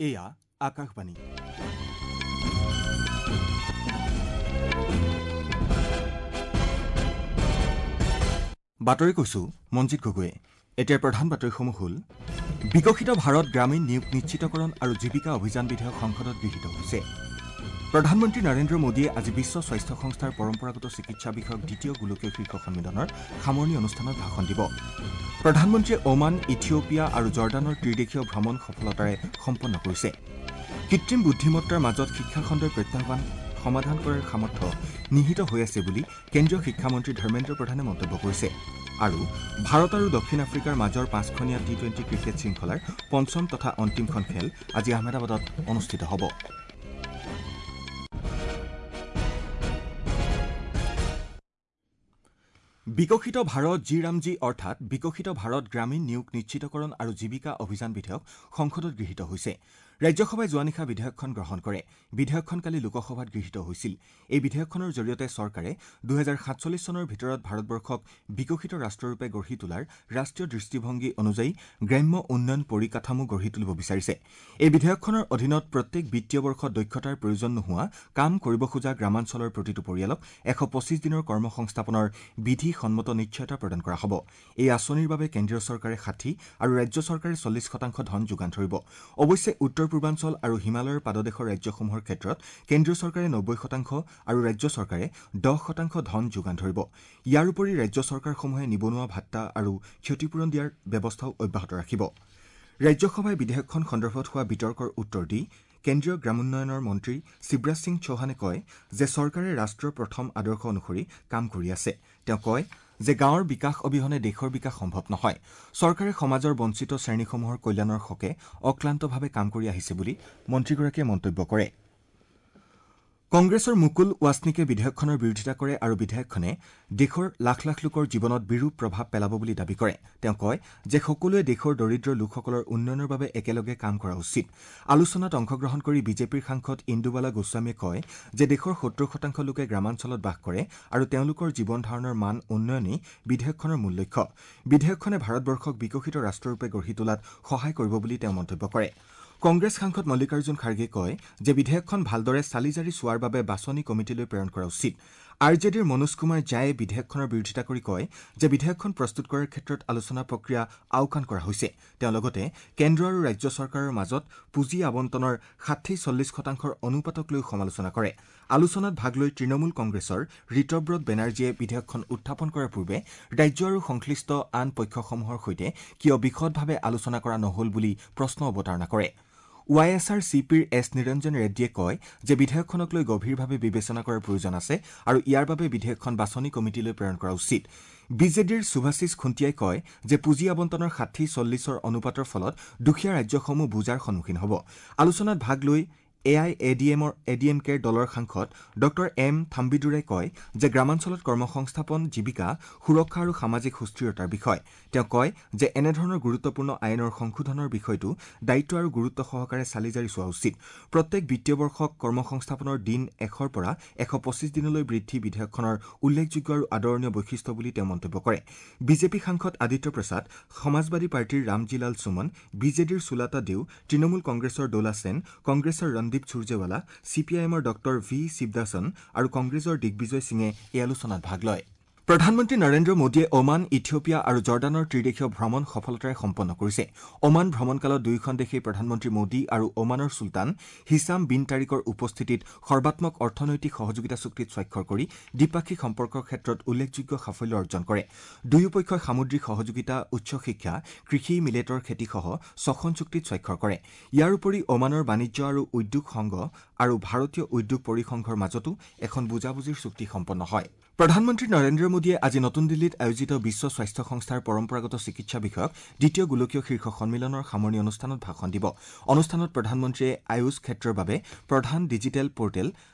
এয়া আকাশবাণী। বাতৰি কৈছো মঞ্জিত গগৈয়ে। এতিয়াৰ প্ৰধান বাতৰিসমূহ হ'ল: বিকশিত ভাৰত গ্ৰামীণ নিয়োগ নিশ্চিতকৰণ আৰু জীৱিকা অভিযান বিধেয়ক সংসদত গৃহীত হৈছে। প্ৰধানমন্ত্ৰী নৰেন্দ্ৰ মোদীয়ে আজি বিশ্ব স্বাস্থ্য সংস্থাৰ পৰম্পৰাগত চিকিৎসা বিষয়ক দ্বিতীয় গোলকীয় শীৰ্ষ সন্মিলনৰ সামৰণি অনুষ্ঠানত ভাষণ দিব। প্ৰধানমন্ত্ৰীয়ে ওমান, ইথিঅপিয়া আৰু জৰ্ডানৰ ত্ৰিদেশীয় ভ্ৰমণ সফলতাৰে সম্পন্ন কৰিছে। কৃত্ৰিম বুদ্ধিমত্তাৰ মাজত শিক্ষাখণ্ডৰ প্ৰত্যাহ্বান সমাধান কৰাৰ সামৰ্থ্য নিহিত হৈ আছে বুলি কেন্দ্ৰীয় শিক্ষামন্ত্ৰী ধৰ্মেন্দ্ৰ প্ৰধানে মন্তব্য কৰিছে। আৰু ভাৰত আৰু দক্ষিণ আফ্ৰিকাৰ মাজৰ পাঁচখনীয়া টি-20 ক্ৰিকেট শৃংখলাৰ পঞ্চম তথা অন্তিমখন খেল আজি আহমেদাবাদত অনুষ্ঠিত হ'ব। বিকশিত ভাৰত জি ৰামজী অৰ্থাৎ বিকশিত ভাৰত গ্ৰামীণ নিয়োগ নিশ্চিতকৰণ আৰু জীৱিকা অভিযান বিধেয়ক সংসদত গৃহীত হৈছে। ৰাজ্যসভাই যোৱা নিশা বিধেয়কখন গ্ৰহণ কৰে। বিধেয়কখন কালি লোকসভাত গৃহীত হৈছিল। এই বিধেয়কখনৰ জৰিয়তে চৰকাৰে 2047 চনৰ ভিতৰত ভাৰতবৰ্ষক বিকশিত ৰাষ্ট্ৰৰূপে গঢ়ি তোলাৰ ৰাষ্ট্ৰীয় দৃষ্টিভংগী অনুযায়ী গ্ৰাম্য উন্নয়ন পৰিকাঠামো গঢ়ি তুলিব বিচাৰিছে। এই বিধেয়কখনৰ অধীনত প্ৰত্যেক বিত্তীয় বৰ্ষত দক্ষতাৰ প্ৰয়োজন নোহোৱা কাম কৰিব খোজা গ্ৰামাঞ্চলৰ প্ৰতিটো পৰিয়ালক 125 দিনৰ কৰ্মসংস্থাপনৰ বিধিসন্মত নিশ্চয়তা প্ৰদান কৰা হ'ব। এই আঁচনিৰ বাবে কেন্দ্ৰীয় চৰকাৰে 60 আৰু ৰাজ্য চৰকাৰে 40% ধন যোগান ধৰিব। অৱশ্যে উত্তৰ পূৰ্বাঞ্চল আৰু হিমালয়ৰ পাদদেশৰ ৰাজ্যসমূহৰ ক্ষেত্ৰত কেন্দ্ৰীয় চৰকাৰে 90% আৰু ৰাজ্য চৰকাৰে 10% ধন যোগান ধৰিব। ইয়াৰ উপৰি ৰাজ্য চৰকাৰসমূহে নিবনুৱা ভাট্টা আৰু ক্ষতিপূৰণ দিয়াৰ ব্যৱস্থাও অব্যাহত ৰাখিব। ৰাজ্যসভাই বিধেয়কখন সন্দৰ্ভত হোৱা বিতৰ্কৰ উত্তৰ দি কেন্দ্ৰীয় গ্ৰামোন্নয়নৰ মন্ত্ৰী শিৱৰাজ সিং চৌহানে কয় যে চৰকাৰে ৰাষ্ট্ৰৰ প্ৰথম আদৰ্শ অনুসৰি কাম কৰি আছে। তেওঁ কয় যে গাঁৱৰ বিকাশ অবিহনে দেশৰ বিকাশ সম্ভৱ নহয়। চৰকাৰে সমাজৰ বঞ্চিত শ্ৰেণীসমূহৰ কল্যাণৰ হকে অক্লান্তভাৱে কাম কৰি আহিছে বুলি মন্ত্ৰীগৰাকীয়ে মন্তব্য কৰে। কংগ্ৰেছৰ মুকুল ৱাছনিকে বিধেয়কখনৰ বিৰোধিতা কৰে আৰু বিধেয়কখনে দেশৰ লাখ লাখ লোকৰ জীৱনত বিৰূপ প্ৰভাৱ পেলাব বুলি দাবী কৰে। তেওঁ কয় যে সকলোৱে দেশৰ দৰিদ্ৰ লোকসকলৰ উন্নয়নৰ বাবে একেলগে কাম কৰা উচিত। আলোচনাত অংশগ্ৰহণ কৰি বিজেপিৰ সাংসদ ইন্দুবালা গোস্বামীয়ে কয় যে দেশৰ 70% লোকে গ্ৰামাঞ্চলত বাস কৰে আৰু তেওঁলোকৰ জীৱন ধাৰণৰ মান উন্নয়নেই বিধেয়কখনৰ মূল লক্ষ্য। বিধেয়কখনে ভাৰতবৰ্ষক বিকশিত ৰাষ্ট্ৰৰূপে গঢ়ি তোলাত সহায় কৰিব বুলি তেওঁ মন্তব্য কৰে। কংগ্ৰেছ সাংসদ মল্লিকাৰ্জুন খাৰ্গে কয় যে বিধেয়কখন ভালদৰে চালি-জাৰি চোৱাৰ বাবে বাছনি কমিটিলৈ প্ৰেৰণ কৰা উচিত। আৰ জে ডিৰ মনোজ কুমাৰ ঝায়ে বিধেয়কখনৰ বিৰোধিতা কৰি কয় যে বিধেয়কখন প্ৰস্তুত কৰাৰ ক্ষেত্ৰত আলোচনা প্ৰক্ৰিয়া আওকাণ কৰা হৈছে। তেওঁ লগতে কেন্দ্ৰ আৰু ৰাজ্য চৰকাৰৰ মাজত পুঁজি আবণ্টনৰ 60-40% অনুপাতক লৈ সমালোচনা কৰে। আলোচনাত ভাগ লৈ তৃণমূল কংগ্ৰেছৰ ঋতব্ৰত বেনাৰ্জীয়ে বিধেয়কখন উত্থাপন কৰাৰ পূৰ্বে ৰাজ্য আৰু সংশ্লিষ্ট আন পক্ষসমূহৰ সৈতে কিয় বিশদভাৱে আলোচনা কৰা নহ'ল বুলি প্ৰশ্ন অৱতাৰণা কৰে। ৱাই এছ আৰ চি পিৰ এছ নিৰঞ্জন ৰেড্ডীয়ে কয় যে বিধেয়কখনক লৈ গভীৰভাৱে বিবেচনা কৰাৰ প্ৰয়োজন আছে আৰু ইয়াৰ বাবে বিধেয়কখন বাছনি কমিটিলৈ প্ৰেৰণ কৰা উচিত। বি জে ডিৰ সুভাষিছ খুন্তিয়াই কয় যে পুঁজি আবণ্টনৰ 60-40 অনুপাতৰ ফলত দুখীয়া ৰাজ্যসমূহ বোজাৰ সন্মুখীন হ'ব। আলোচনাত ভাগ লৈ A I A D M কেৰ দলৰ সাংসদ ডঃ এম থাম্বিদুৰাই কয় যে গ্ৰামাঞ্চলত কৰ্মসংস্থাপন, জীৱিকা সুৰক্ষা আৰু সামাজিক সুস্থিৰতাৰ বিষয়। তেওঁ কয় যে এনেধৰণৰ গুৰুত্বপূৰ্ণ আইনৰ সংশোধনৰ বিষয়টো দায়িত্ব আৰু গুৰুত্ব সহকাৰে চালি-জাৰি চোৱা উচিত। প্ৰত্যেক বিত্তীয় বৰ্ষক কৰ্মসংস্থাপনৰ দিন 100ৰ পৰা 125 দিনলৈ বৃদ্ধি বিধেয়কখনৰ উল্লেখযোগ্য আৰু আদৰণীয় বৈশিষ্ট্য বুলি তেওঁ মন্তব্য কৰে। বিজেপি সাংসদ আদিত্য প্ৰসাদ, সমাজবাদী পাৰ্টীৰ ৰামজীলাল সুমন, বি জে ডিৰ সুলাতা দেও, তৃণমূল কংগ্ৰেছৰ দোলা সেন, কংগ্ৰেছৰ ৰণদীপ সুৰজেৱালা, চি পি আই এমৰ ডঃ ভি শিৱদাসন আৰু কংগ্ৰেছৰ দিগ্বিজয় সিঙে এই আলোচনাত ভাগ লয়। প্ৰধানমন্ত্ৰী নৰেন্দ্ৰ মোদীয়ে ওমান, ইথিঅপিয়া আৰু জৰ্ডানৰ ত্ৰিদেশীয় ভ্ৰমণ সফলতাৰে সম্পন্ন কৰিছে। ওমান ভ্ৰমণকালত দুয়োখন দেশেই প্ৰধানমন্ত্ৰী মোদী আৰু ওমানৰ চুলতান হিছাম বিন তাৰিকৰ উপস্থিতিত সৰ্বাত্মক অৰ্থনৈতিক সহযোগিতা চুক্তিত স্বাক্ষৰ কৰি দ্বিপাক্ষিক সম্পৰ্কৰ ক্ষেত্ৰত উল্লেখযোগ্য সাফল্য অৰ্জন কৰে। দুয়োপক্ষই সামুদ্ৰিক সহযোগিতা, উচ্চ শিক্ষা, কৃষি, মিলেটৰ খেতিসহ 6খন চুক্তিত স্বাক্ষৰ কৰে। ইয়াৰ উপৰি ওমানৰ বাণিজ্য আৰু উদ্যোগ সংঘ আৰু ভাৰতীয় উদ্যোগ পৰিসংঘৰ মাজতো এখন বুজাবুজিৰ চুক্তি সম্পন্ন হয়। প্ৰধানমন্ত্ৰী নৰেন্দ্ৰ মোদীয়ে আজি নতুন দিল্লীত আয়োজিত বিশ্ব স্বাস্থ্য সংস্থাৰ পৰম্পৰাগত চিকিৎসা বিষয়ক দ্বিতীয় গোলকীয় শীৰ্ষ সন্মিলনৰ সামৰণি অনুষ্ঠানত ভাষণ দিব। অনুষ্ঠানত প্ৰধানমন্ত্ৰীয়ে আয়ুষ ক্ষেত্ৰৰ বাবে প্ৰধান ডিজিটেল পৰ্টেল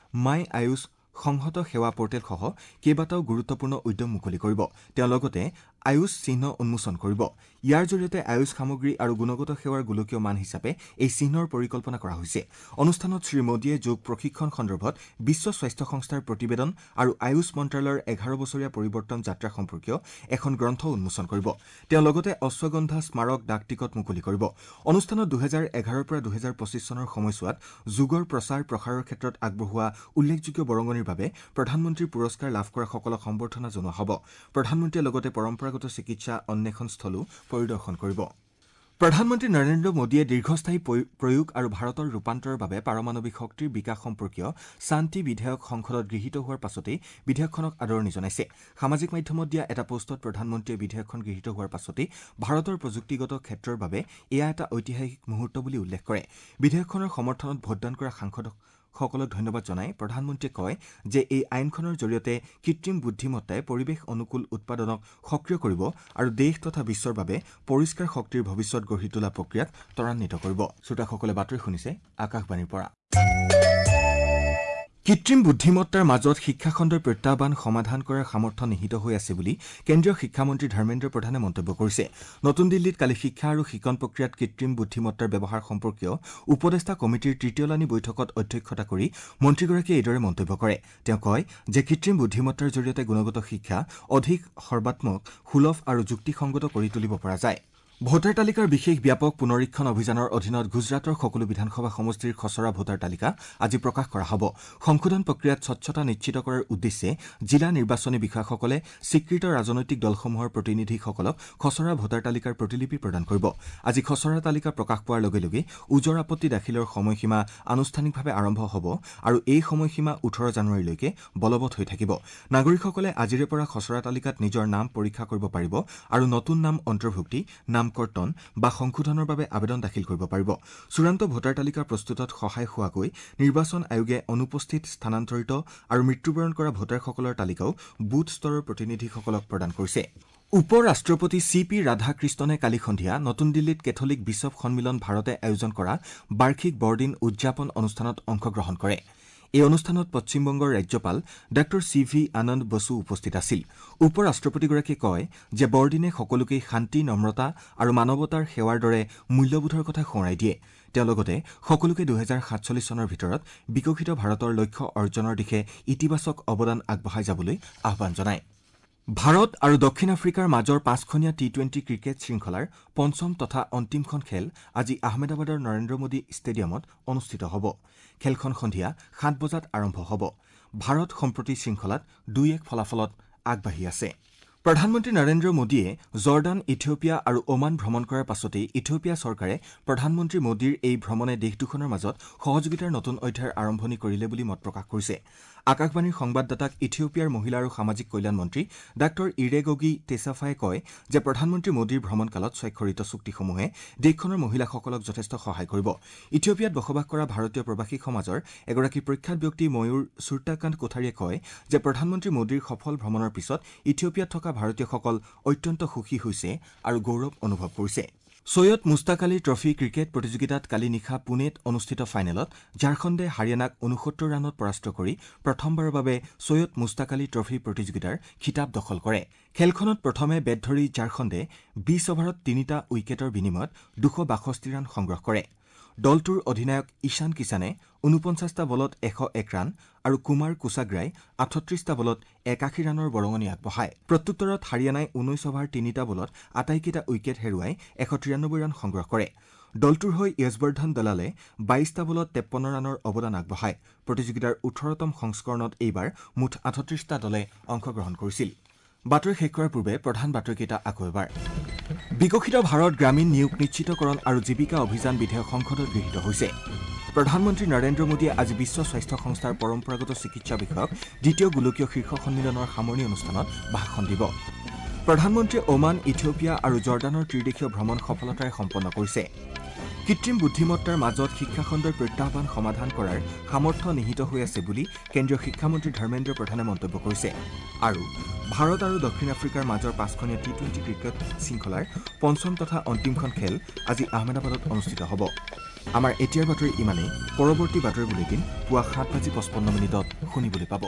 মাই আয়ুষ সংহত সেৱা পৰ্টেলসহ কেইবাটাও গুৰুত্বপূৰ্ণ উদ্যম মুকলি কৰিব। তেওঁ লগতে আয়ুষ চিহ্ন উন্মোচন কৰিব। ইয়াৰ জৰিয়তে আয়ুষ সামগ্ৰী আৰু গুণগত সেৱাৰ গোলকীয় মান হিচাপে এই চিহ্নৰ পৰিকল্পনা কৰা হৈছে। অনুষ্ঠানত শ্ৰীমোদীয়ে যোগ প্ৰশিক্ষণ সন্দৰ্ভত বিশ্ব স্বাস্থ্য সংস্থাৰ প্ৰতিবেদন আৰু আয়ুষ মন্ত্ৰালয়ৰ 11 বছৰীয়া পৰিৱৰ্তন যাত্ৰা সম্পৰ্কীয় এখন গ্ৰন্থ উন্মোচন কৰিব। তেওঁ লগতে অশ্বগন্ধা স্মাৰক ডাক টিকট মুকলি কৰিব। অনুষ্ঠানত 2011ৰ পৰা 2025 চনৰ সময়ছোৱাত যোগৰ প্ৰচাৰ প্ৰসাৰৰ ক্ষেত্ৰত আগবঢ়োৱা উল্লেখযোগ্য বৰঙণিৰ বাবে প্ৰধানমন্ত্ৰীৰ পুৰস্কাৰ লাভ কৰাসকলক সম্বৰ্ধনা জনোৱা হ'ব। প্ৰধানমন্ত্ৰীয়ে লগতে পৰম্পৰাগত চিকিৎসা অন্বেষণস্থলো পৰিদৰ্শন কৰিব। প্ৰধানমন্ত্ৰী নৰেন্দ্ৰ মোদীয়ে দীৰ্ঘস্থায়ী প্ৰয়োগ আৰু ভাৰতৰ ৰূপান্তৰৰ বাবে পাৰমাণৱিক শক্তিৰ বিকাশ সম্পৰ্কীয় শান্তি বিধেয়ক সংসদত গৃহীত হোৱাৰ পাছতেই বিধেয়কখনক আদৰণি জনাইছে। সামাজিক মাধ্যমত দিয়া এটা পোষ্টত প্ৰধানমন্ত্ৰীয়ে বিধেয়কখন গৃহীত হোৱাৰ পাছতেই ভাৰতৰ প্ৰযুক্তিগত ক্ষেত্ৰৰ বাবে এয়া এটা ঐতিহাসিক মুহূৰ্ত বুলি উল্লেখ কৰে। বিধেয়কখনৰ সমৰ্থনত ভোটদান কৰা সাংসদসকলক ধন্যবাদ জনাই প্ৰধানমন্ত্ৰীয়ে কয় যে এই আইনখনৰ জৰিয়তে কৃত্ৰিম বুদ্ধিমত্তাই পৰিৱেশ অনুকূল উৎপাদনক সক্ৰিয় কৰিব আৰু দেশ তথা বিশ্বৰ বাবে পৰিষ্কাৰ শক্তিৰ ভৱিষ্যত গঢ়ি তোলা প্ৰক্ৰিয়াক ত্বৰান্বিত কৰিব। শ্ৰোতাসকলে বাতৰি শুনিছে আকাশবাণীৰ পৰা। কৃত্ৰিম বুদ্ধিমত্তাৰ মাজত শিক্ষাখণ্ডৰ প্ৰত্যাহ্বান সমাধান কৰাৰ সামৰ্থ্য নিহিত হৈ আছে বুলি কেন্দ্ৰীয় শিক্ষামন্ত্ৰী ধৰ্মেন্দ্ৰ প্ৰধানে মন্তব্য কৰিছে। নতুন দিল্লীত কালি শিক্ষা আৰু শিকন প্ৰক্ৰিয়াত কৃত্ৰিম বুদ্ধিমত্তাৰ ব্যৱহাৰ সম্পৰ্কীয় উপদেষ্টা কমিটিৰ তৃতীয়লানি বৈঠকত অধ্যক্ষতা কৰি মন্ত্ৰীগৰাকীয়ে এইদৰে মন্তব্য কৰে। তেওঁ কয় যে কৃত্ৰিম বুদ্ধিমত্তাৰ জৰিয়তে গুণগত শিক্ষা অধিক সৰ্বাত্মক, সুলভ আৰু যুক্তিসংগত কৰি তুলিব পৰা যায়। ভোটাৰ তালিকাৰ বিশেষ ব্যাপক পুনৰীক্ষণ অভিযানৰ অধীনত গুজৰাটৰ সকলো বিধানসভা সমষ্টিৰ খচৰা ভোটাৰ তালিকা আজি প্ৰকাশ কৰা হ'ব। সংশোধন প্ৰক্ৰিয়াত স্বচ্ছতা নিশ্চিত কৰাৰ উদ্দেশ্যে জিলা নিৰ্বাচনী বিষয়াসকলে স্বীকৃত ৰাজনৈতিক দলসমূহৰ প্ৰতিনিধিসকলক খচৰা ভোটাৰ তালিকাৰ প্ৰতিলিপি প্ৰদান কৰিব। আজি খচৰা তালিকা প্ৰকাশ পোৱাৰ লগে লগে ওজৰ আপত্তি দাখিলৰ সময়সীমা আনুষ্ঠানিকভাৱে আৰম্ভ হ'ব আৰু এই সময়সীমা 18 জানুৱাৰীলৈকে বলবৎ হৈ থাকিব। নাগৰিকসকলে আজিৰে পৰা খচৰা তালিকাত নিজৰ নাম পৰীক্ষা কৰিব পাৰিব আৰু নতুন নাম অন্তৰ্ভুক্তি, নাম কৰ্তন বা সংশোধনৰ বাবে আবেদন দাখিল কৰিব পাৰিব। চূড়ান্ত ভোটাৰ তালিকা প্ৰস্তুতত সহায় হোৱাকৈ নিৰ্বাচন আয়োগে অনুপস্থিত, স্থানান্তৰিত আৰু মৃত্যুবৰণ কৰা ভোটাৰসকলৰ তালিকাও বুথ স্তৰৰ প্ৰতিনিধিসকলক প্ৰদান কৰিছে। উপ ৰাষ্ট্ৰপতি চি পি ৰাধাকৃষ্ণনে কালি সন্ধিয়া নতুন দিল্লীত কেথলিক বিশ্বপ সন্মিলন ভাৰতে আয়োজন কৰা বাৰ্ষিক বৰদিন উদযাপন অনুষ্ঠানত অংশগ্ৰহণ কৰে। এই অনুষ্ঠানত পশ্চিমবংগৰ ৰাজ্যপাল ডাঃ চি ভি আনন্দ বসু উপস্থিত আছিল। উপ ৰাষ্ট্ৰপতিগৰাকীয়ে কয় যে বৰদিনে সকলোকে শান্তি, নম্ৰতা আৰু মানৱতাৰ সেৱাৰ দৰে মূল্যবোধৰ কথা সোঁৱৰাই দিয়ে। তেওঁ লগতে সকলোকে 2047 চনৰ ভিতৰত বিকশিত ভাৰতৰ লক্ষ্য অৰ্জনৰ দিশে ইতিবাচক অৱদান আগবঢ়াই যাবলৈ আহ্বান জনায়। ভাৰত আৰু দক্ষিণ আফ্ৰিকাৰ মাজৰ 5খনীয়া টি-20 ক্ৰিকেট শৃংখলাৰ পঞ্চম তথা অন্তিমখন খেল আজি আহমেদাবাদৰ নৰেন্দ্ৰ মোদী ষ্টেডিয়ামত অনুষ্ঠিত হ'ব। খেলখন সন্ধিয়া 7 বজাত আৰম্ভ হ'ব। ভাৰত সম্প্ৰতি শৃংখলাত 2-1 ফলাফলত আগবাঢ়ি আছে। প্ৰধানমন্ত্ৰী নৰেন্দ্ৰ মোদীয়ে জৰ্ডান, ইথিঅপিয়া আৰু ওমান ভ্ৰমণ কৰাৰ পাছতেই ইথিঅপিয়া চৰকাৰে প্ৰধানমন্ত্ৰী মোদীৰ এই ভ্ৰমণে দেশ দুখনৰ মাজত সহযোগিতাৰ নতুন অধ্যায়ৰ আৰম্ভণি কৰিলে বুলি মত প্ৰকাশ কৰিছে। আকাশবাণীৰ সংবাদদাতাক ইথিঅপিয়াৰ মহিলা আৰু সামাজিক কল্যাণ মন্ত্ৰী ডাঃ ইৰেগগি টেছাফাই কয় যে প্ৰধানমন্ত্ৰী মোদীৰ ভ্ৰমণকালত স্বাক্ষৰিত চুক্তিসমূহে দেশখনৰ মহিলাসকলক যথেষ্ট সহায় কৰিব। ইথিঅপিয়াত বসবাস কৰা ভাৰতীয় প্ৰৱাসী সমাজৰ এগৰাকী প্ৰখ্যাত ব্যক্তি ময়ূৰ সূৰ্যাকান্ত কোঠাৰীয়ে কয় যে প্ৰধানমন্ত্ৰী মোদীৰ সফল ভ্ৰমণৰ পিছত ইথিঅপিয়াত থকা ভাৰতীয়সকল অত্যন্ত সুখী হৈছে আৰু গৌৰৱ অনুভৱ কৰিছে। চৈয়দ মুস্তাক আলী ট্ৰফী ক্ৰিকেট প্ৰতিযোগিতাত কালি নিশা পুনেত অনুষ্ঠিত ফাইনেলত ঝাৰখণ্ডে হাৰিয়ানাক 69 ৰানত পৰাস্ত কৰি প্ৰথমবাৰৰ বাবে চৈয়দ মুস্তাক আলী ট্ৰফী প্ৰতিযোগিতাৰ খিতাপ দখল কৰে। খেলখনত প্ৰথমে বেট ধৰি ঝাৰখণ্ডে 20 অভাৰত 3টা উইকেটৰ বিনিময়ত 262 ৰান সংগ্ৰহ কৰে। দলটোৰ অধিনায়ক ঈশান কিষাণে 49টা বলত 101 ৰান আৰু কুমাৰ কুছাগ্ৰাই 38টা বলত 81 ৰানৰ বৰঙণি আগবঢ়ায়। প্ৰত্যুত্তৰত হাৰিয়ানাই 19 অভাৰ 3টা বলত আটাইকেইটা উইকেট হেৰুৱাই 193 ৰান সংগ্ৰহ কৰে। দলটোৰ হৈ য়শবৰ্ধন দলালে 22টা বলত 53 ৰানৰ অৱদান আগবঢ়ায়। প্ৰতিযোগিতাৰ 18তম সংস্কৰণত এইবাৰ মুঠ 38টা দলে অংশগ্ৰহণ কৰিছিল। বাতৰি শেষ কৰাৰ পূৰ্বে প্ৰধান বাতৰিকেইটা আকৌ এবাৰ। বিকশিত ভাৰত গ্ৰামীণ নিয়োগ নিশ্চিতকৰণ আৰু জীৱিকা অভিযান বিধেয়ক সংসদত গৃহীত হৈছে। প্ৰধানমন্ত্ৰী নৰেন্দ্ৰ মোদীয়ে আজি বিশ্ব স্বাস্থ্য সংস্থাৰ পৰম্পৰাগত চিকিৎসা বিষয়ক দ্বিতীয় গোলকীয় শীৰ্ষ সন্মিলনৰ সামৰণি অনুষ্ঠানত ভাষণ দিব। প্ৰধানমন্ত্ৰীয়ে ওমান, ইথিঅপিয়া আৰু জৰ্ডানৰ ত্ৰিদেশীয় ভ্ৰমণ সফলতাৰে সম্পন্ন কৰিছে। কৃত্ৰিম বুদ্ধিমত্তাৰ মাজত শিক্ষাখণ্ডৰ প্ৰত্যাহ্বান সমাধান কৰাৰ সামৰ্থ্য নিহিত হৈ আছে বুলি কেন্দ্ৰীয় শিক্ষামন্ত্ৰী ধৰ্মেন্দ্ৰ প্ৰধানে মন্তব্য কৰিছে। আৰু ভাৰত আৰু দক্ষিণ আফ্ৰিকাৰ মাজৰ 5খনীয়া টি-20 ক্ৰিকেট শৃংখলাৰ পঞ্চম তথা অন্তিমখন খেল আজি আহমেদাবাদত অনুষ্ঠিত হ'ব। আমাৰ এতিয়াৰ বাতৰি ইমানেই। পৰৱৰ্তী বাতৰি বুলেটিন পুৱা 7:55 শুনিবলৈ পাব।